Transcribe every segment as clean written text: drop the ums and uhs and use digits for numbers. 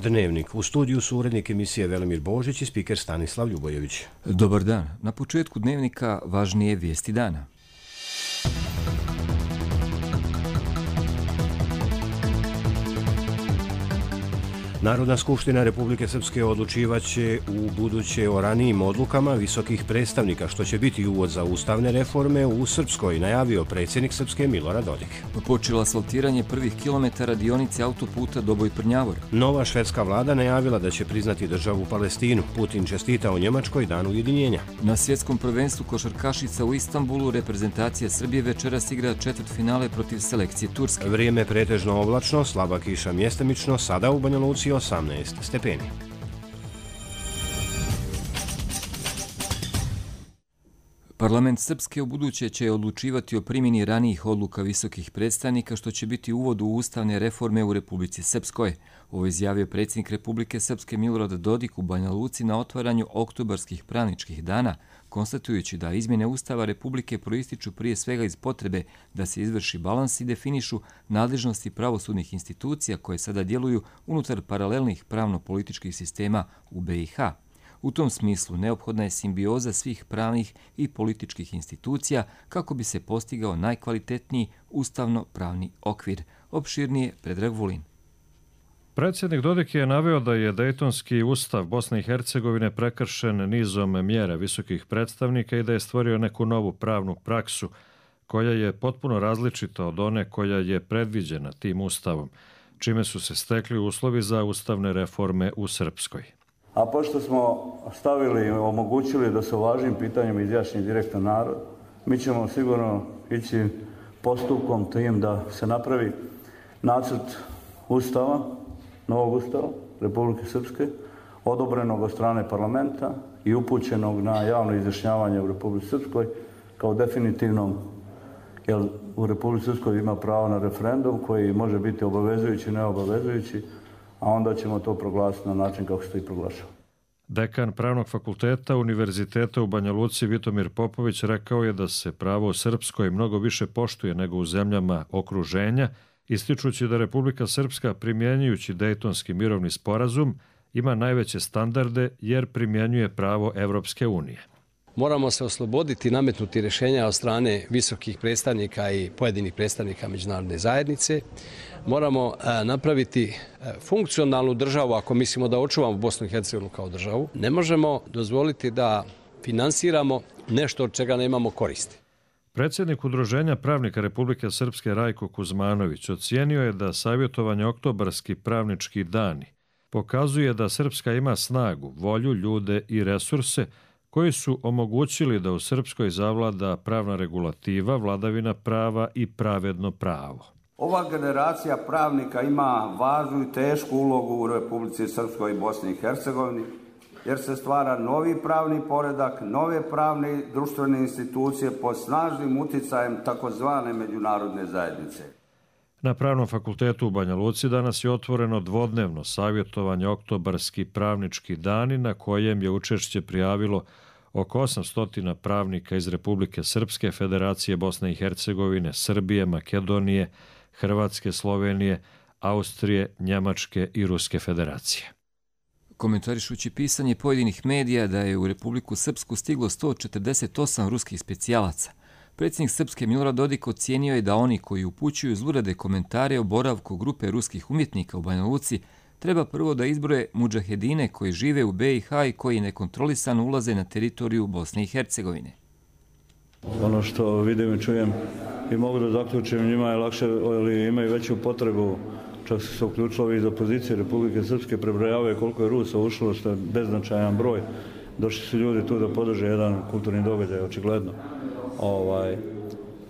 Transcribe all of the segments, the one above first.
Dnevnik. U studiju su urednik emisije Velimir Božić i spiker Stanislav Ljubojević. Dobar dan. Na početku Dnevnika važnije vijesti dana. Narodna skupština Republike Srpske odlučivaće u buduće o ranijim odlukama visokih predstavnika, što će biti uvod za ustavne reforme u Srpskoj, najavio predsjednik Srpske Milorad Dodik. Počelo asfaltiranje prvih kilometara dionice autoputa Doboj-Prnjavor. Nova švedska vlada najavila da će priznati državu Palestinu. Putin čestitao Njemačkoj dan ujedinjenja. Na svjetskom prvenstvu košarkašica u Istanbulu reprezentacija Srbije večeras igra četvrtfinale protiv selekcije Turske. Vrijeme pretežno oblačno, slaba kiša mjestimično, sada u Banja Luci 18 stepeni. Parlament Srpske ubuduće će odlučivati o primjeni ranijih odluka visokih predstavnika, što će biti uvod u ustavne reforme u Republici Srpskoj. Ovo izjavio predsjednik Republike Srpske Milorad Dodik u Banja Luci na otvaranju oktobarskih pravničkih dana, konstatujući da izmjene Ustava Republike proističu prije svega iz potrebe da se izvrši balans i definišu nadležnosti pravosudnih institucija koje sada djeluju unutar paralelnih pravno-političkih sistema u BiH. U tom smislu neophodna je simbioza svih pravnih i političkih institucija kako bi se postigao najkvalitetniji ustavno-pravni okvir. Opširnije Predrag Vulin. Predsjednik Dodik je naveo da je Dejtonski ustav Bosne i Hercegovine prekršen nizom mjera visokih predstavnika i da je stvorio neku novu pravnu praksu koja je potpuno različita od one koja je predviđena tim ustavom, čime su se stekli uslovi za ustavne reforme u Srpskoj. A pošto smo omogućili da se o važnim pitanjima izjašnji direktan narod, mi ćemo sigurno ići postupkom tim da se napravi nacrt ustava, novog ustava Republike Srpske, odobrenog od strane parlamenta i upućenog na javno izjašnjavanje u Republici Srpskoj kao definitivnom, jer u Republici Srpskoj ima pravo na referendum koji može biti obavezujući i neobavezujući, a onda ćemo to proglasiti na način kako se to i proglašava. Dekan Pravnog fakulteta Univerziteta u Banja Luci Vitomir Popović rekao je da se pravo u Srpskoj mnogo više poštuje nego u zemljama okruženja, ističući da Republika Srpska, primjenjujući Dejtonski mirovni sporazum, ima najveće standarde jer primjenjuje pravo Evropske unije. Moramo se osloboditi nametnuti rješenja od strane visokih predstavnika i pojedinih predstavnika međunarodne zajednice. Moramo napraviti funkcionalnu državu ako mislimo da očuvamo Bosnu i Hercegovinu kao državu. Ne možemo dozvoliti da finansiramo nešto od čega nemamo koristi. Predsjednik Udruženja pravnika Republike Srpske Rajko Kuzmanović ocijenio je da savjetovanje oktobarski pravnički dani pokazuje da Srpska ima snagu, volju, ljude i resurse koji su omogućili da u Srpskoj zavlada pravna regulativa, vladavina prava i pravedno pravo. Ova generacija pravnika ima važnu i tešku ulogu u Republici Srpskoj i Bosni i Hercegovini, jer se stvara novi pravni poredak, nove pravne i društvene institucije pod snažnim uticajem takozvane međunarodne zajednice. Na Pravnom fakultetu u Banja Luci danas je otvoreno dvodnevno savjetovanje oktobarski pravnički dani na kojem je učešće prijavilo oko 800 pravnika iz Republike Srpske, Federacije Bosne i Hercegovine, Srbije, Makedonije, Hrvatske, Slovenije, Austrije, Njemačke i Ruske federacije. Komentarišući pisanje pojedinih medija da je u Republiku Srpsku stiglo 148 ruskih specijalaca, predsjednik Srpske Milorad Dodik ocijenio je da oni koji upućuju zlurade komentare o boravku grupe ruskih umjetnika u Banja Luci treba prvo da izbroje mudžahedine koji žive u BiH i koji nekontrolisano ulaze na teritoriju Bosne i Hercegovine. Ono što vidim i čujem i mogu da zaključim, njima je lakše, ili imaju veću potrebu, čak su se uključili iz opozicije Republike Srpske, prebrojavaju koliko je Rusa ušlo, što je beznačajan broj. Došli su ljudi tu da podrže jedan kulturni događaj, očigledno.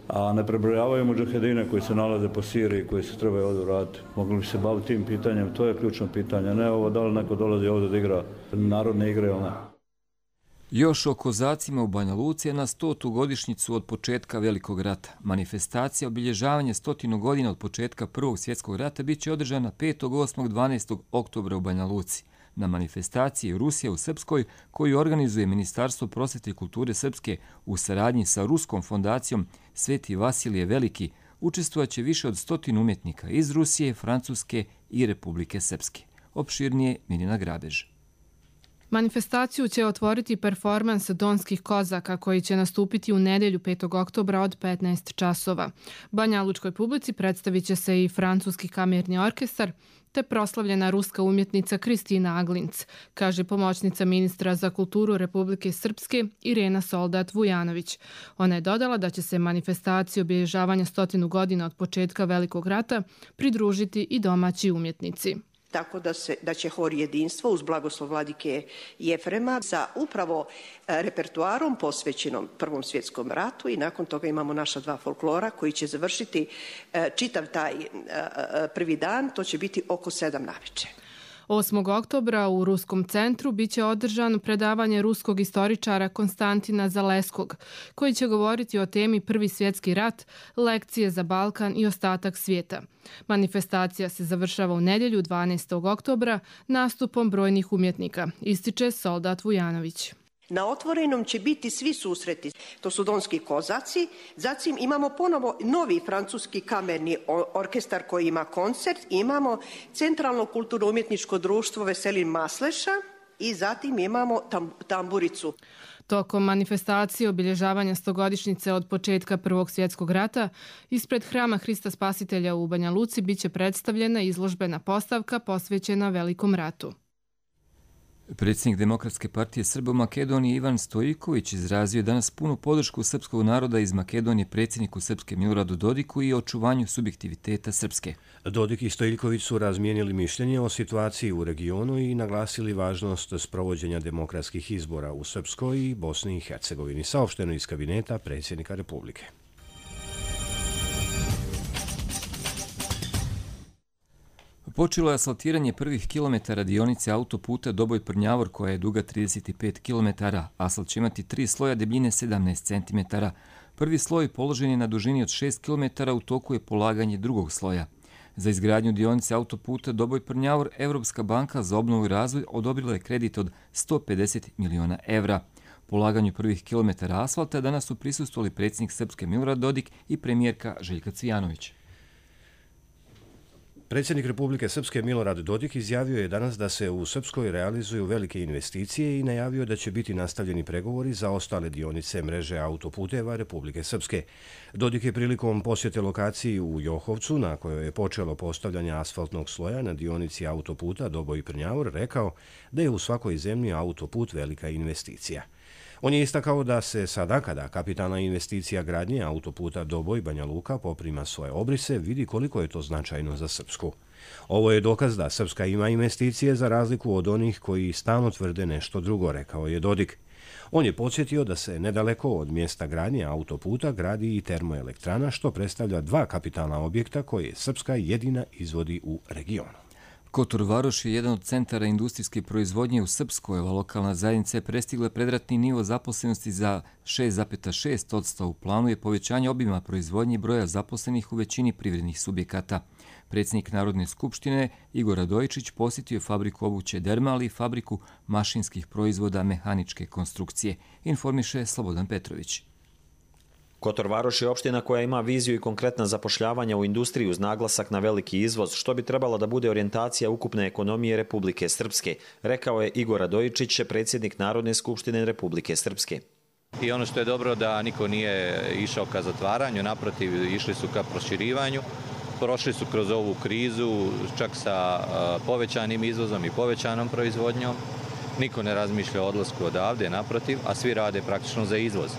A ne prebrojavaju mudžahedine koji se nalaze po Siriji, koji se trebaju ovdje vratiti. Mogli bi se baviti tim pitanjem, to je ključno pitanje. Ne ovo da li neko dolazi ovdje da igra narodne igre ili ne. Još o kozacima u Banja Luci na 100. godišnjicu od početka Velikog rata. Manifestacija obilježavanje 100 godina od početka Prvog svjetskog rata bit će održana 5., 8., 12. oktobra u Banja Luci. Na manifestaciji Rusija u Srpskoj, koju organizuje Ministarstvo prosvjete i kulture Srpske u saradnji sa Ruskom fondacijom Sveti Vasilije Veliki, učestvovaće više od 100 umjetnika iz Rusije, Francuske i Republike Srpske. Opširnije Mirjana Grabež. Manifestaciju će otvoriti performans Donskih kozaka koji će nastupiti u nedjelju 5. oktobra od 15 časova. Banjalučkoj publici predstavit će se i francuski kamerni orkestar te proslavljena ruska umjetnica Kristina Aglinc, kaže pomoćnica ministra za kulturu Republike Srpske Irena Soldat-Vujanović. Ona je dodala da će se manifestaciji obilježavanja 100 godina od početka Velikog rata pridružiti i domaći umjetnici. Tako da će hor Jedinstvo uz blagoslov vladike Jefrema sa upravo repertuarom posvećenom Prvom svjetskom ratu i nakon toga imamo naša dva folklora koji će završiti čitav taj prvi dan, to će biti oko 7 navečer. 8. oktobra u Ruskom centru biće održano predavanje ruskog istoričara Konstantina Zaleskog, koji će govoriti o temi Prvi svjetski rat, lekcije za Balkan i ostatak svijeta. Manifestacija se završava u nedjelju 12. oktobra nastupom brojnih umjetnika, ističe Soldat-Vujanović. Na otvorenom će biti svi susreti. To su Donski kozaci. Zatim imamo ponovo novi francuski kamerni orkestar koji ima koncert. Imamo Centralno kulturno-umjetničko društvo Veselin Masleša i zatim imamo tamburicu. Tokom manifestacije obilježavanja 100-godišnjice od početka Prvog svjetskog rata, ispred Hrama Hrista Spasitelja u Banja Luci biće predstavljena izložbena postavka posvećena Velikom ratu. Predsjednik Demokratske partije Srba u Makedoniji Ivan Stojiković izrazio je danas punu podršku srpskog naroda iz Makedonije predsjedniku Srpske Miloradu Dodiku i očuvanju subjektiviteta Srpske. Dodik i Stojiković su razmijenili mišljenje o situaciji u regionu i naglasili važnost sprovođenja demokratskih izbora u Srpskoj i Bosni i Hercegovini, saopšteno iz kabineta predsjednika Republike. Počelo je asfaltiranje prvih kilometara dionice autoputa Doboj-Prnjavor koja je duga 35 km. Asfalt će imati 3 sloja debljine 17 cm. Prvi sloj položen je na dužini od 6 km, u toku je polaganje drugog sloja. Za izgradnju dionice autoputa Doboj-Prnjavor Evropska banka za obnovu i razvoj odobrila je kredit od 150 miliona evra. Polaganju prvih kilometara asfalta danas su prisustvovali predsjednik Srpske Milorad Dodik i premijerka Željka Cvijanović. Predsjednik Republike Srpske Milorad Dodik izjavio je danas da se u Srpskoj realizuju velike investicije i najavio da će biti nastavljeni pregovori za ostale dionice mreže autoputeva Republike Srpske. Dodik je prilikom posjete lokaciji u Johovcu, na kojoj je počelo postavljanje asfaltnog sloja na dionici autoputa Doboj-Prnjavor, rekao da je u svakoj zemlji autoput velika investicija. On je istakao da se sada, kada kapitalna investicija gradnje autoputa Doboj-Banja Luka poprima svoje obrise, vidi koliko je to značajno za Srpsku. Ovo je dokaz da Srpska ima investicije za razliku od onih koji stalno tvrde nešto drugo, rekao je Dodik. On je podsjetio da se nedaleko od mjesta gradnje autoputa gradi i termoelektrana, što predstavlja 2 kapitalna objekta koje Srpska jedina izvodi u regionu. Kotor Varoš je jedan od centara industrijske proizvodnje u Srpskoj. Ova lokalna zajednica je prestigla predratni nivo zaposlenosti za 6,6%. U planu je povećanje obima proizvodnje i broja zaposlenih u većini privrednih subjekata. Predsjednik Narodne skupštine Igor Radojičić posjetio je fabriku obuće Derma, ali i fabriku mašinskih proizvoda mehaničke konstrukcije, informiše Slobodan Petrović. Kotor Varoš je opština koja ima viziju i konkretna zapošljavanja u industriji uz naglasak na veliki izvoz, što bi trebala da bude orijentacija ukupne ekonomije Republike Srpske, rekao je Igor Radojičić, predsjednik Narodne skupštine Republike Srpske. I ono što je dobro da niko nije išao ka zatvaranju, naprotiv išli su ka proširivanju, prošli su kroz ovu krizu čak sa povećanim izvozom i povećanom proizvodnjom, niko ne razmišlja o odlasku odavde, naprotiv, a svi rade praktično za izvoz.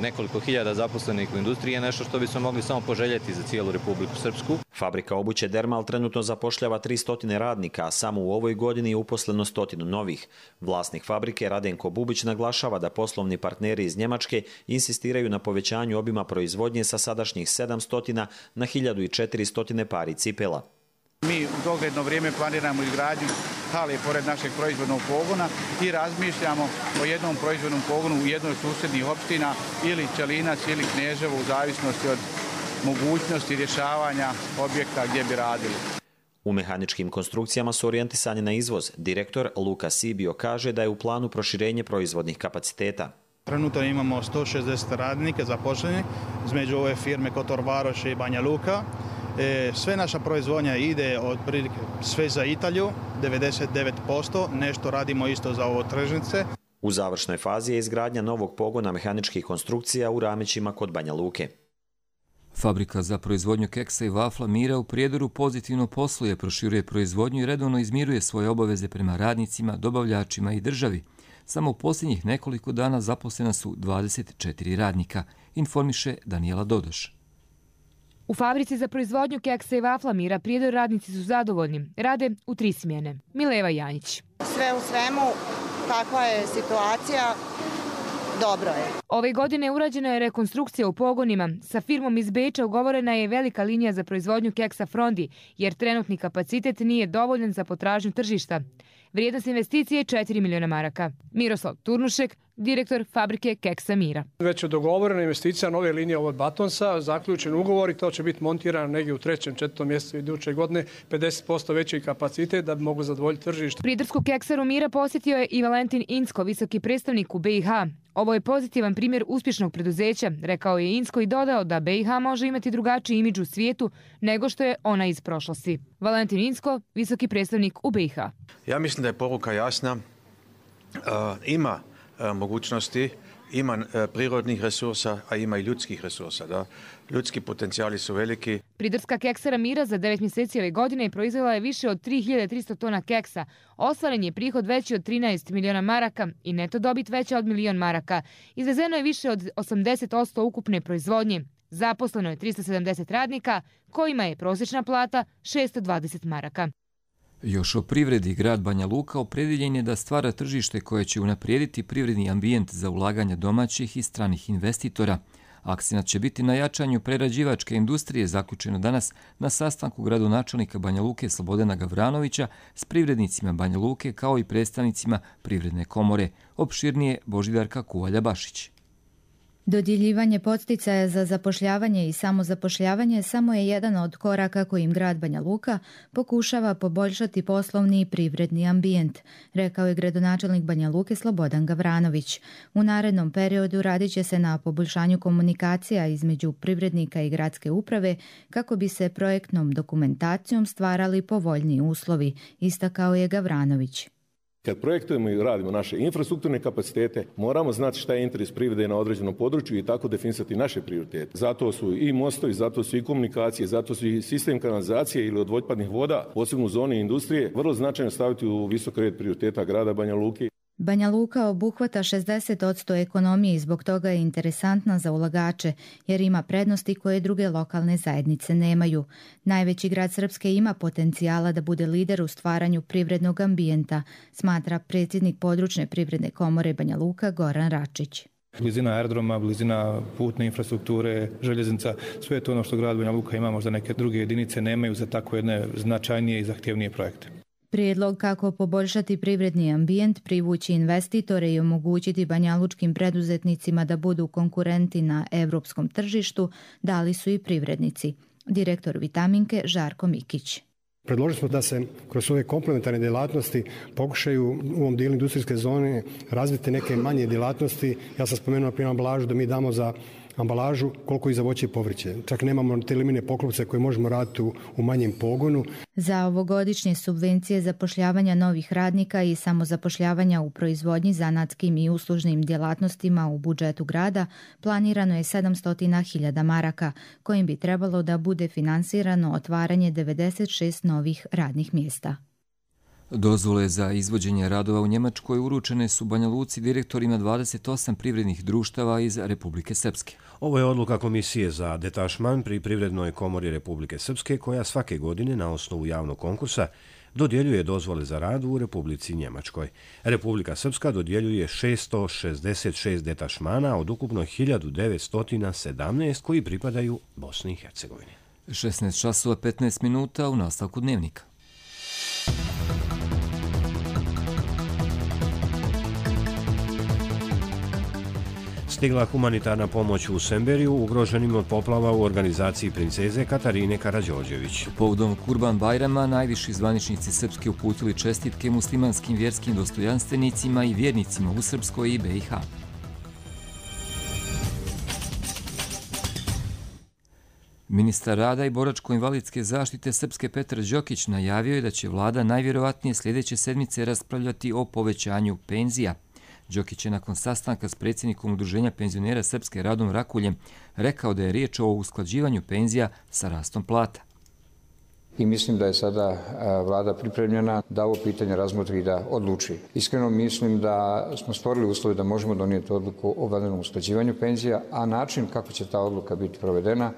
Nekoliko hiljada zaposlenih u industriji je nešto što bismo mogli samo poželjeti za cijelu Republiku Srpsku. Fabrika obuće Dermal trenutno zapošljava 300 radnika, a samo u ovoj godini je uposleno 100 novih. Vlasnik fabrike Radenko Bubić naglašava da poslovni partneri iz Njemačke insistiraju na povećanju obima proizvodnje sa sadašnjih 700 na 1400 pari cipela. Mi u dogledno vrijeme planiramo izgradnju hale pored našeg proizvodnog pogona i razmišljamo o jednom proizvodnom pogonu u jednoj od susjednih opština ili Čelinac ili Kneževo u zavisnosti od mogućnosti rješavanja objekta gdje bi radili. U mehaničkim konstrukcijama su orijentisani na izvoz. Direktor Luka Sibio kaže da je u planu proširenje proizvodnih kapaciteta. Trenutno imamo 160 radnika zaposlenih između ove firme Kotor Varoš i Banja Luka. Sve naša proizvodnja ide otprilike sve za Italiju, 99%, nešto radimo isto za ovo tržnice. U završnoj fazi je izgradnja novog pogona mehaničkih konstrukcija u Ramićima kod Banja Luke. Fabrika za proizvodnju keksa i vafla Mira u Prijedoru pozitivno posluje, proširuje proizvodnju i redovno izmiruje svoje obaveze prema radnicima, dobavljačima i državi. Samo u posljednjih nekoliko dana zaposlena su 24 radnika, informiše Danijela Dodoš. U fabrici za proizvodnju keksa i vafla Mira Prijedor radnici su zadovoljni. Rade u 3 smjene. Mileva Janjić. Sve u svemu, kakva je situacija, dobro je. Ove godine urađena je rekonstrukcija u pogonima. Sa firmom iz Beča ugovorena je velika linija za proizvodnju keksa Frondi, jer trenutni kapacitet nije dovoljan za potražnju tržišta. Vrijednost investicije je 4 miliona maraka. Miroslav Turnušek, direktor fabrike keksa Mira. Već je dogovorena investicija nove linije od Batonsa, zaključen ugovor i to će biti montirano negdje u 3. 4. mjesecu iduće godine, 50% veći kapacitet da bi mogu zadovoljiti tržište. Prijedorsku keksaru Mira posjetio je i Valentin Insko, visoki predstavnik u BiH. Ovo je pozitivan primjer uspješnog preduzeća, rekao je Insko i dodao da BiH može imati drugačiji imidž u svijetu nego što je ona iz prošlosti. Valentin Insko, visoki predstavnik u BiH. Ja mislim da je poruka jasna. Ima mogućnosti, ima prirodnih resursa, a ima i ljudskih resursa. Da? Ljudski potencijali su veliki. Prijedorska keksara Mira za 9 mjeseci ove godine proizvela je više od 3300 tona keksa. Ostvaren je prihod veći od 13 miliona maraka i neto dobit veća od milion maraka. Izvezeno je više od 80% ukupne proizvodnje. Zaposleno je 370 radnika, kojima je prosječna plata 620 maraka. Još o privredi, grad Banja Luka opredjeljen je da stvara tržište koje će unaprijediti privredni ambijent za ulaganje domaćih i stranih investitora. Akcenat će biti na jačanju prerađivačke industrije, zaključeno danas na sastanku gradonačelnika Banja Luke Slobodana Gavranovića s privrednicima Banja Luke kao i predstavnicima Privredne komore. Opširnije Božidarka Kuvalja-Bašić. Dodjeljivanje podsticaja za zapošljavanje i samozapošljavanje samo je jedan od koraka kojim grad Banja Luka pokušava poboljšati poslovni i privredni ambijent, rekao je gradonačelnik Banja Luke Slobodan Gavranović. U narednom periodu radit će se na poboljšanju komunikacija između privrednika i gradske uprave kako bi se projektnom dokumentacijom stvarali povoljniji uslovi, istakao je Gavranović. Kad projektujemo i radimo naše infrastrukturne kapacitete, moramo znati šta je interes privrede na određenom području i tako definisati naše prioritete. Zato su i mostovi, zato su i komunikacije, zato su i sistem kanalizacije ili odvodpadnih voda, posebno u zoni industrije, vrlo značajno staviti u visok red prioriteta grada Banja Luke. Banja Luka obuhvata 60% ekonomije i zbog toga je interesantna za ulagače, jer ima prednosti koje druge lokalne zajednice nemaju. Najveći grad Srpske ima potencijala da bude lider u stvaranju privrednog ambijenta, smatra predsjednik područne privredne komore Banja Luka Goran Račić. Blizina aerodroma, blizina putne infrastrukture, željeznica, sve je to ono što grad Banja Luka ima, možda neke druge jedinice nemaju za tako jedne značajnije i zahtjevnije projekte. Prijedlog kako poboljšati privredni ambijent, privući investitore i omogućiti banjalučkim preduzetnicima da budu konkurenti na evropskom tržištu dali su i privrednici. Direktor Vitaminke Žarko Mikić. Predložili smo da se kroz ove komplementarne djelatnosti pokušaju u ovom dijelu industrijske zone razviti neke manje djelatnosti. Ja sam spomenuo na primjer ambalažu, da mi damo za ambalažu koliko i za voće i povrće. Čak nemamo te limine poklopce koje možemo raditi u manjem pogonu. Za ovogodišnje subvencije zapošljavanja novih radnika i samozapošljavanja u proizvodnji, zanatskim i uslužnim djelatnostima u budžetu grada planirano je 700.000 maraka, kojim bi trebalo da bude finansirano otvaranje 96 novih radnih mjesta. Dozvole za izvođenje radova u Njemačkoj uručene su Banja Luci direktorima 28 privrednih društava iz Republike Srpske. Ovo je odluka Komisije za detašman pri Privrednoj komori Republike Srpske, koja svake godine na osnovu javnog konkursa dodjeljuje dozvole za rad u Republici Njemačkoj. Republika Srpska dodjeljuje 666 detašmana od ukupno 1917 koji pripadaju Bosni i Hercegovini. 16 časova 15 minuta u nastavku dnevnika. Stigla humanitarna pomoć u Semberiju ugroženim od poplava u organizaciji princeze Katarine Karađorđević. Povodom Kurban Bajrama najviši zvaničnici Srpske uputili čestitke muslimanskim vjerskim dostojanstvenicima i vjernicima u Srpskoj i BiH. Ministar rada i boračko-invalidske zaštite Srpske Petar Đokić najavio je da će vlada najvjerovatnije sljedeće sedmice raspravljati o povećanju penzija. Đokić je nakon sastanka s predsjednikom Udruženja penzionera Srpske Radom Rakuljem rekao da je riječ o usklađivanju penzija sa rastom plata. I mislim da je sada vlada pripremljena da ovo pitanje razmotri i da odluči. Iskreno mislim da smo stvorili uslove da možemo donijeti odluku o vanrednom usklađivanju penzija, a način kako će ta odluka biti provedena,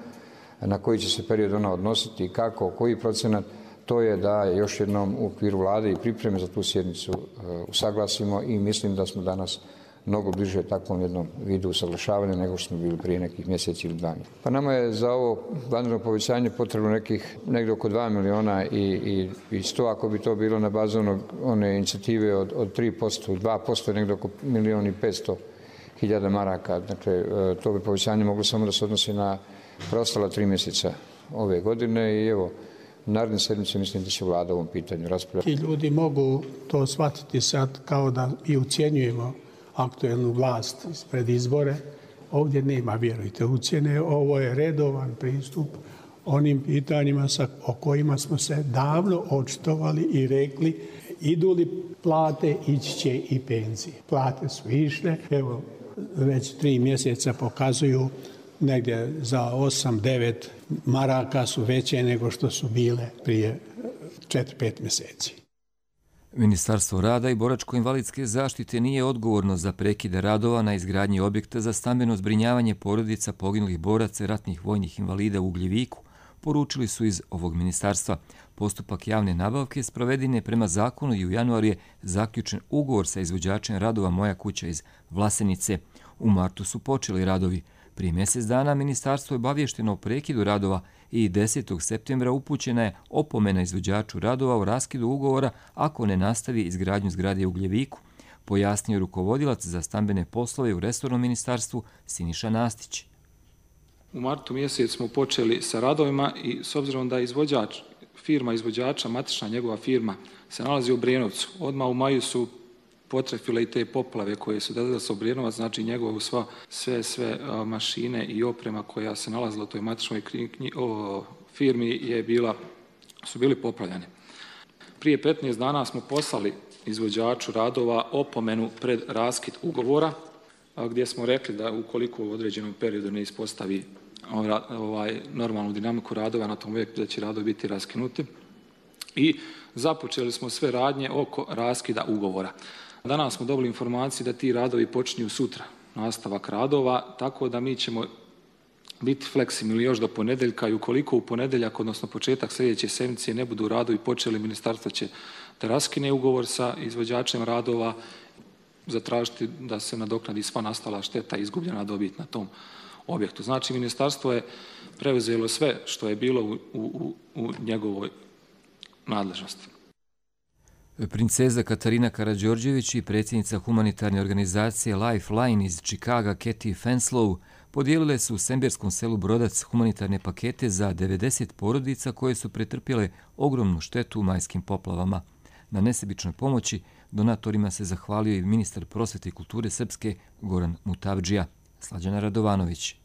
na koji će se period ona odnositi i kako, koji procenat, to je da još jednom u okviru vlade i pripreme za tu sjednicu usaglasimo i mislim da smo danas mnogo bliže takvom jednom vidu usaglašavanja nego što smo bili prije nekih mjeseci ili dana. Pa nama je za ovo vanredno povećanje potrebno negdje oko 2 miliona i 100, ako bi to bilo na bazu one inicijative od 3%, 2% negdje oko 1.500.000 maraka. Dakle, to bi povećanje moglo samo da se odnosi na preostala 3 mjeseca ove godine i evo, naredne sedmice mislim da će vlada ovom pitanju raspravljati. I ljudi mogu to shvatiti sad kao da i ucjenjujemo aktuelnu vlast pred izbore. Ovdje nema, vjerujte, ucjene. Ovo je redovan pristup onim pitanjima o kojima smo se davno očitovali i rekli idu li plate, ići će i penzije. Plate su išle, evo već 3 mjeseca pokazuju negdje za 8-9 maraka su veće nego što su bile prije 4-5 mjeseci. Ministarstvo rada i boračko-invalidske zaštite nije odgovorno za prekide radova na izgradnji objekta za stambeno zbrinjavanje porodica poginulih boraca i ratnih vojnih invalida u Ugljeviku, poručili su iz ovog ministarstva. Postupak javne nabavke sproveden je prema zakonu i u januaru je zaključen ugovor sa izvođačem radova Moja kuća iz Vlasenice. U martu su počeli radovi. Prije mjesec dana ministarstvo je obavješteno o prekidu radova i 10. septembra upućena je opomena izvođaču radova o raskidu ugovora ako ne nastavi izgradnju zgrade u Ugljeviku, pojasnio rukovodilac za stambene poslove u resornom ministarstvu Siniša Nastić. U martu mjesec smo počeli sa radovima i s obzirom da firma izvođača, matična njegova firma, se nalazi u Obrenovcu. Odmah u maju su potrefile i te poplave koje su dadale sa Obrenovac, znači njegovu sve mašine i oprema koja se nalazila u toj matičnoj firmi su bili poplavljene. Prije 15 dana smo poslali izvođaču radova opomenu pred raskid ugovora, gdje smo rekli da ukoliko u određenom periodu ne ispostavi normalnu dinamiku radova na tom objektu, da će radovi biti raskinuti. I započeli smo sve radnje oko raskida ugovora. Danas smo dobili informaciju da ti radovi počinju sutra, nastavak radova, tako da mi ćemo biti fleksibilni još do ponedjeljka i ukoliko u ponedjeljak, odnosno početak sljedeće sedmice ne budu radovi počeli, ministarstvo će da raskine ugovor sa izvođačem radova, zatražiti da se nadoknadi sva nastala šteta i izgubljena dobit na tom objektu. Znači, ministarstvo je preuzelo sve što je bilo u njegovoj nadležnosti. Princeza Katarina Karađorđević i predsjednica humanitarne organizacije Lifeline iz Čikaga Kathy Fenslow podijelile su u Semberskom selu Brodac humanitarne pakete za 90 porodica koje su pretrpjele ogromnu štetu u majskim poplavama. Na nesebičnoj pomoći donatorima se zahvalio i ministar prosvete i kulture Srpske Goran Mutavdžija. Slađana Radovanović.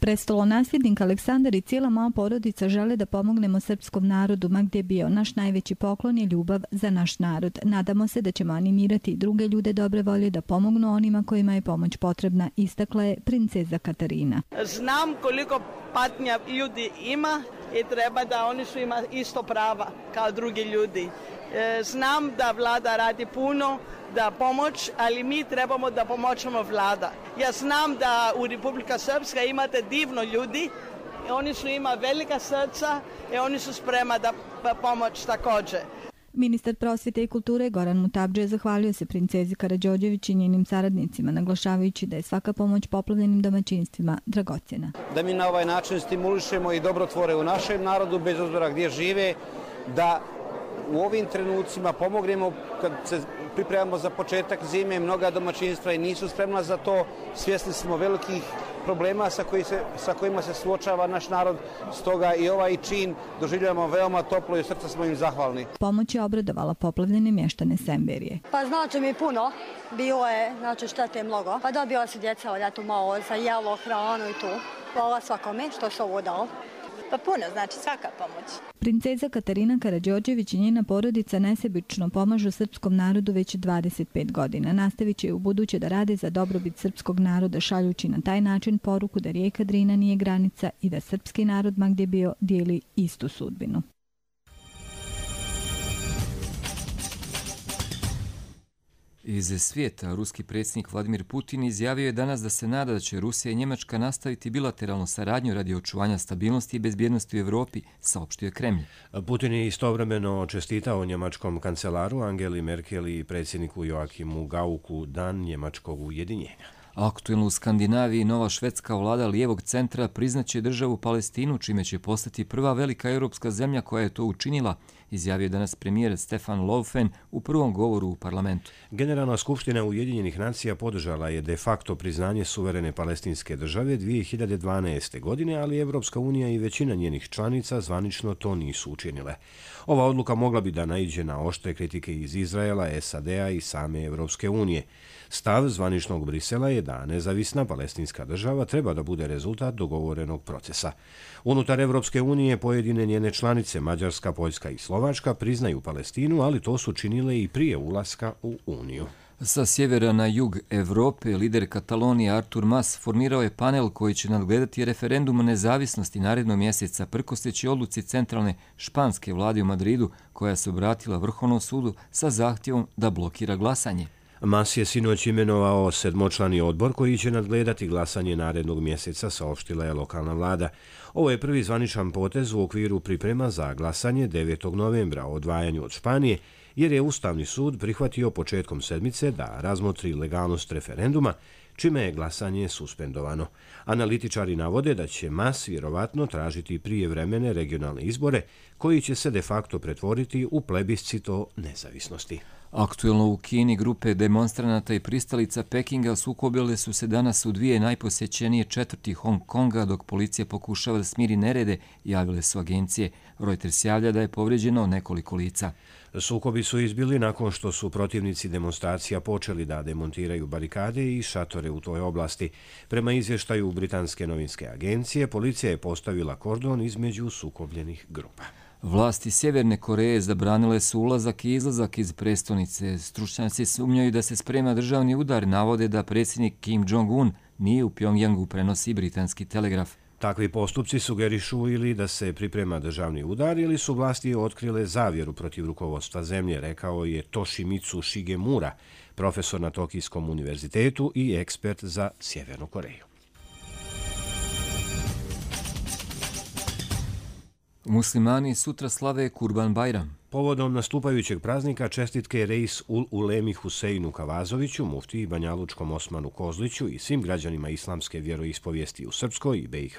Prestolonasljednik Aleksandar i cijela moja porodica žele da pomognemo srpskom narodu, ma gdje bio. Naš najveći poklon je ljubav za naš narod. Nadamo se da ćemo animirati i druge ljude dobre volje da pomognu onima kojima je pomoć potrebna, istakla je princeza Katarina. Znam koliko patnja ljudi ima i treba da oni su ima isto prava kao drugi ljudi. Znam da vlada radi puno, da pomoć, ali mi trebamo da pomoćemo vlada. Ja znam da u Republika Srpska imate divno ljudi, oni su ima velika srca i oni su sprema da pomoć također. Ministar prosvjete i kulture Goran Mutavdžija zahvalio se princezi Karađorđević i njenim saradnicima, naglašavajući da je svaka pomoć poplavljenim domaćinstvima dragocjena. Da mi na ovaj način stimulišemo i dobrotvore u našem narodu, bez obzira gdje žive, da u ovim trenucima pomognemo kad se pripremamo za početak zime, mnoga domaćinstva i nisu spremna za to. Svjesni smo velikih problema sa kojima se suočava naš narod, stoga i ovaj čin doživljavamo veoma toplo i u srca smo im zahvalni. Pomoć je obradovala poplavljene mještane Semberije. Pa znači mi puno, bilo je, znači štete mnogo. Pa dobila se djeca od malo za jelo, hranu i tu. Hvala svakome što se ovo dao. Pa puno, znači svaka pomoć. Princeza Katarina Karađorđević i njena porodica nesebično pomažu srpskom narodu već 25 godina. Nastavit će u buduće da rade za dobrobit srpskog naroda, šaljući na taj način poruku da rijeka Drina nije granica i da srpski narod, ma gdje bio, dijeli istu sudbinu. Iz svijeta, ruski predsjednik Vladimir Putin izjavio je danas da se nada da će Rusija i Njemačka nastaviti bilateralnu saradnju radi očuvanja stabilnosti i bezbjednosti u Evropi, saopštio je Kremlj. Putin je istovremeno čestitao njemačkom kancelaru Angeli Merkel i predsjedniku Joachimu Gaucku dan njemačkog ujedinjenja. Aktuelno u Skandinaviji nova švedska vlada lijevog centra priznaće državu Palestinu, čime će postati prva velika europska zemlja koja je to učinila, izjavio danas premijer Stefan Löfven u prvom govoru u parlamentu. Generalna skupština Ujedinjenih nacija podržala je de facto priznanje suverene palestinske države 2012. godine, ali Evropska unija i većina njenih članica zvanično to nisu učinile. Ova odluka mogla bi da naiđe na oštre kritike iz Izraela, SAD-a i same Evropske unije. Stav zvaničnog Brisela je da nezavisna palestinska država treba da bude rezultat dogovorenog procesa. Unutar Evropske unije pojedine njene članice, Mađarska, Poljska i Slovačka, priznaju Palestinu, ali to su činile i prije ulaska u Uniju. Sa sjevera na jug Evrope, lider Katalonije Artur Mas formirao je panel koji će nadgledati referendum o nezavisnosti narednog mjeseca, prkosteći odluci centralne španske vlade u Madridu, koja se obratila Vrhovnom sudu sa zahtjevom da blokira glasanje. Mas je sinoć imenovao 7-člani odbor koji će nadgledati glasanje narednog mjeseca, saopštila je lokalna vlada. Ovo je prvi zvaničan potez u okviru priprema za glasanje 9. novembra o odvajanju od Španije, jer je Ustavni sud prihvatio početkom sedmice da razmotri legalnost referenduma, čime je glasanje suspendovano. Analitičari navode da će Mas vjerovatno tražiti prijevremene regionalne izbore, koji će se de facto pretvoriti u plebiscito nezavisnosti. Aktuelno u Kini grupe demonstranata i pristalica Pekinga sukobile su se danas u dvije najposjećenije četvrti Hong Konga, dok policija pokušava da smiri nerede, javile su agencije. Reuters javlja da je povrijeđeno nekoliko lica. Sukobi su izbili nakon što su protivnici demonstracija počeli da demontiraju barikade i šatore u toj oblasti. Prema izvještaju britanske novinske agencije, policija je postavila kordon između sukobljenih grupa. Vlasti Sjeverne Koreje zabranile su ulazak i izlazak iz prestonice. Stručnjaci sumnjaju da se sprema državni udar, navode da predsjednik Kim Jong-un nije u Pjongjangu, prenosi britanski Telegraf. Takvi postupci sugerišu ili da se priprema državni udar ili su vlasti otkrile zavjeru protiv rukovodstva zemlje, rekao je Toshimitsu Shigemura, profesor na Tokijskom univerzitetu i ekspert za Sjevernu Koreju. Muslimani sutra slave Kurban Bajram. Povodom nastupajućeg praznika čestitke Reis ul Ulemi Huseinu Kavazoviću, muftiji Banjalučkom Osmanu Kozliću i svim građanima islamske vjeroispovijesti u Srpskoj i BiH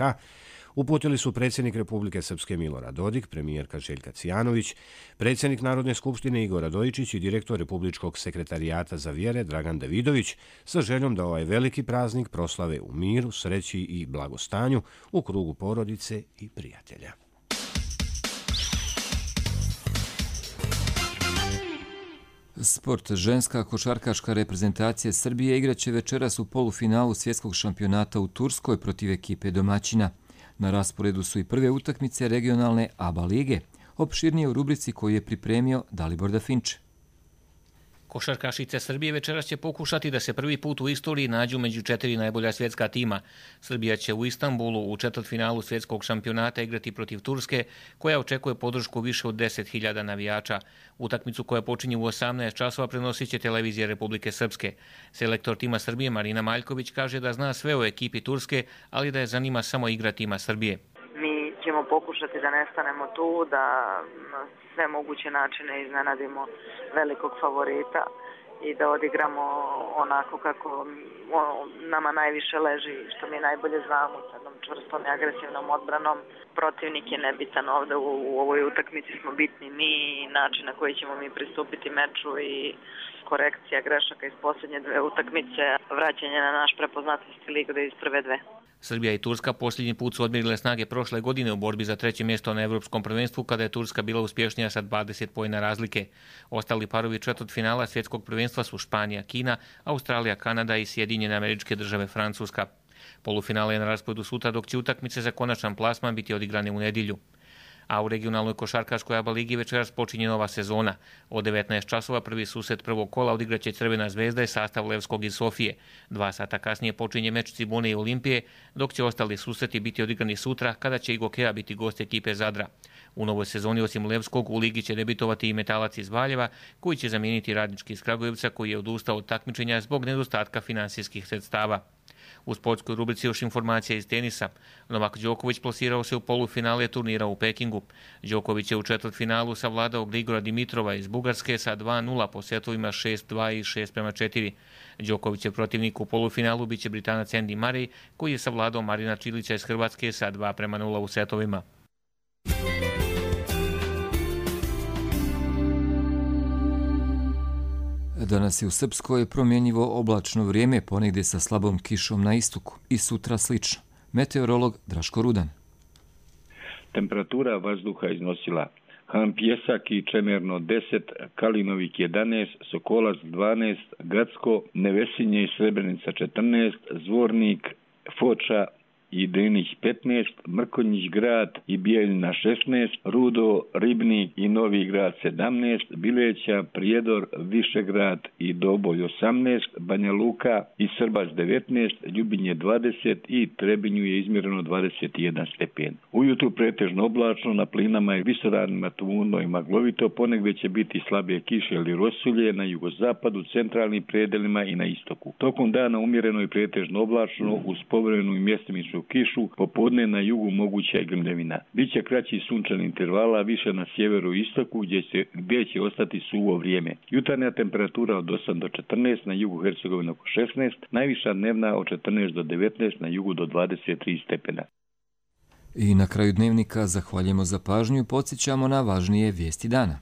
uputili su predsjednik Republike Srpske Milorad Dodik, premijerka Željka Cijanović, predsjednik Narodne skupštine Igor Radojičić i direktor Republičkog sekretarijata za vjere Dragan Davidović sa željom da ovaj veliki praznik proslave u miru, sreći i blagostanju u krugu porodice i prijatelja. Sport. Ženska košarkaška reprezentacija Srbije igraće večeras u polufinalu svjetskog šampionata u Turskoj protiv ekipe domaćina. Na rasporedu su i prve utakmice regionalne ABA lige. Opširnije u rubrici koju je pripremio Dalibor Dafinče. Košarkašice Srbije večeras će pokušati da se prvi put u istoriji nađu među 4 najbolja svjetska tima. Srbija će u Istanbulu u četvrtfinalu svjetskog šampionata igrati protiv Turske, koja očekuje podršku više od 10.000 navijača. Utakmicu koja počinje u 18 časova prenosit će televizija Republike Srpske. Selektor tima Srbije Marina Maljković kaže da zna sve o ekipi Turske, ali da je zanima samo igra tima Srbije. Mi ćemo pokušati da ne stanemo tu, da na sve moguće načine iznenadimo velikog favorita i da odigramo onako kako nama najviše leži, što mi najbolje znamo, s jednom čvrstom i agresivnom odbranom. Protivnik je nebitan ovde, u ovoj utakmici smo bitni mi i način na koji ćemo mi pristupiti meču i korekcija grešaka iz posljednje dve utakmice, vraćanje na naš prepoznatljivi lig iz prve dve. Srbija i Turska posljednji put su odmjerile snage prošle godine u borbi za treće mjesto na Evropskom prvenstvu, kada je Turska bila uspješnija sa 20 poena razlike. Ostali parovi četvrtfinala svjetskog prvenstva su Španija, Kina, Australija, Kanada i Sjedinjene Američke Države, Francuska. Polufinale je na rasporedu sutra, dok će utakmice za konačan plasman biti odigrane u nedjelju. A u regionalnoj košarkaškoj ABA ligi večeras počinje nova sezona. Od 19 časova prvi susret prvog kola odigraće Crvena zvezda i sastav Levskog iz Sofije. 2 sata kasnije počinje meč Cibone i Olimpije, dok će ostali susreti biti odigrani sutra kada će i Gokeja biti gost ekipe Zadra. U novoj sezoni osim Levskog u ligi će debitovati i Metalac iz Valjeva, koji će zamijeniti Radnički iz Kragujevca, koji je odustao od takmičenja zbog nedostatka finansijskih sredstava. U sportskoj rubrici još informacija iz tenisa. Novak Đoković plasirao se u polufinale turnira u Pekingu. Đoković je u četvrtfinalu savladao Grigora Dimitrova iz Bugarske sa 2-0 po setovima 6-2 i 6-4. Đokovićev protivnik u polufinalu biće Britanac Andy Murray, koji je savladao Marina Čilića iz Hrvatske sa 2-0 u setovima. Danas je u Srpskoj promjenjivo oblačno vrijeme, ponegdje sa slabom kišom na istoku, i sutra slično. Meteorolog Draško Rudan. Temperatura vazduha iznosila Han Pjesak i Čemerno 10, Kalinovik 11, Sokolac 12, Gacko, Nevesinje i Srebrenica 14, Zvornik, Foča i Drinić 15, Mrkonjić grad i Bijeljina 16, Rudo, Ribnik i Novi grad 17, Bileća, Prijedor, Višegrad i Doboj 18, Banja Luka i Srbac 19, Ljubinje 20 i Trebinju je izmjereno 21 stepen. Ujutru pretežno oblačno, na plinama i visoravnima tmurno i maglovito, ponegdje će biti slabije kiše ili rosulje na jugozapadu, centralnim predelima i na istoku. Tokom dana umjereno i pretežno oblačno uz povremenu i mjestimičnu kišu, popodne na jugu moguća i grmljevina. Biće kraći sunčani intervala, više na sjeveru i istoku gdje će ostati suvo vrijeme. Jutarnja temperatura od 8 do 14, na jugu Hercegovine oko 16, najviša dnevna od 14 do 19, na jugu do 23 stepena. I na kraju dnevnika zahvaljujemo za pažnju i podsjećamo na važnije vijesti dana.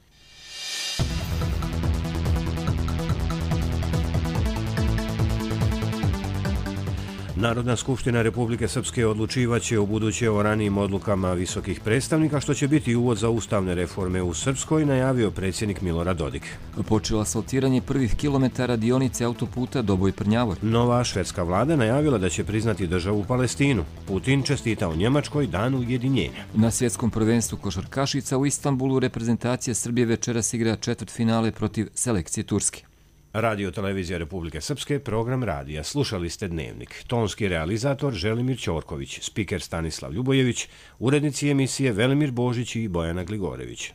Narodna skupština Republike Srpske odlučivaće u buduće o ranijim odlukama visokih predstavnika, što će biti uvod za ustavne reforme u Srpskoj, najavio predsjednik Milorad Dodik. Počelo asfaltiranje prvih kilometara dionice autoputa Doboj-Prnjavor. Nova švedska vlada najavila da će priznati državu Palestinu. Putin čestitao Njemačkoj dan ujedinjenja. Na svjetskom prvenstvu košarkašica u Istanbulu reprezentacija Srbije večeras igra četvrtfinale protiv selekcije Turske. Radio Televizija Republike Srpske, program radija. Slušali ste Dnevnik. Tonski realizator Želimir Ćorković, spiker Stanislav Ljubojević, urednici emisije Velimir Božić i Bojana Gligorević.